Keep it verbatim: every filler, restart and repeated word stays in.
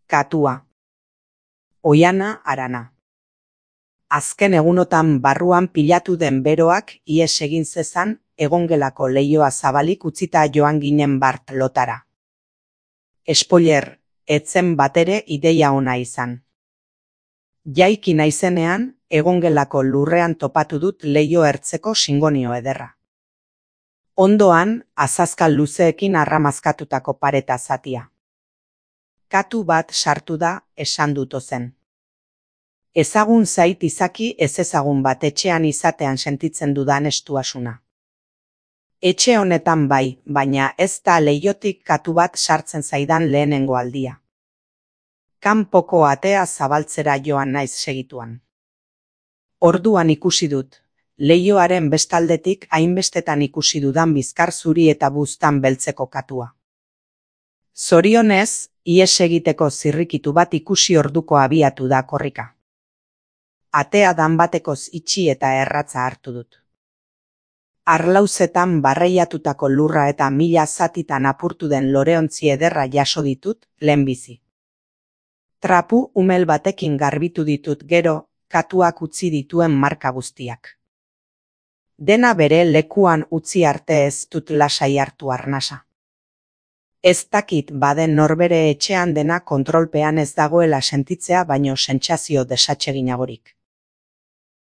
Katua. Oiana Arana. Azken egunotan barruan pilatu den beroak ihes egin zezan, egongelako leihoa zabalik utzita joan ginen bart lotara. Spoiler, etzen batere ideia ona izan. Jaiki naizenean, egongelako lurrean topatu dut leiho ertzeko singonio ederra. Ondoan, azazkal luzeekin arramazkatutako pareta zatia. Katu bat sartu da, esan dut ozen. Ezagun zait izaki ez ezagun bat etxean izatean sentitzen dudan estuasuna. Etxe honetan bai, baina ez da leihotik katu bat sartzen zaidan lehenengo aldia. Kanpoko atea zabaltzera joan naiz segituan. Orduan ikusi dut, leihoaren bestaldetik hainbestetan ikusi dudan bizkar zuri eta buztan beltzeko katua. Zorionez, ihes egiteko zirrikitu bat ikusi orduko abiatu da korrika. Atea danbatekoz itxi eta erratza hartu dut. Arlauzetan barreiatutako lurra eta mila zatitan apurtu den loreontzi ederra jaso ditut, lehenbizi. Trapu umel batekin garbitu ditut gero, katuak utzi dituen marka guztiak. Dena bere lekuan utzi arte ez dut lasai hartu arnasa. Ez dakit baden norbere etxean dena kontrolpean ez dagoela sentitzea baino sentsazio desatseginagorik.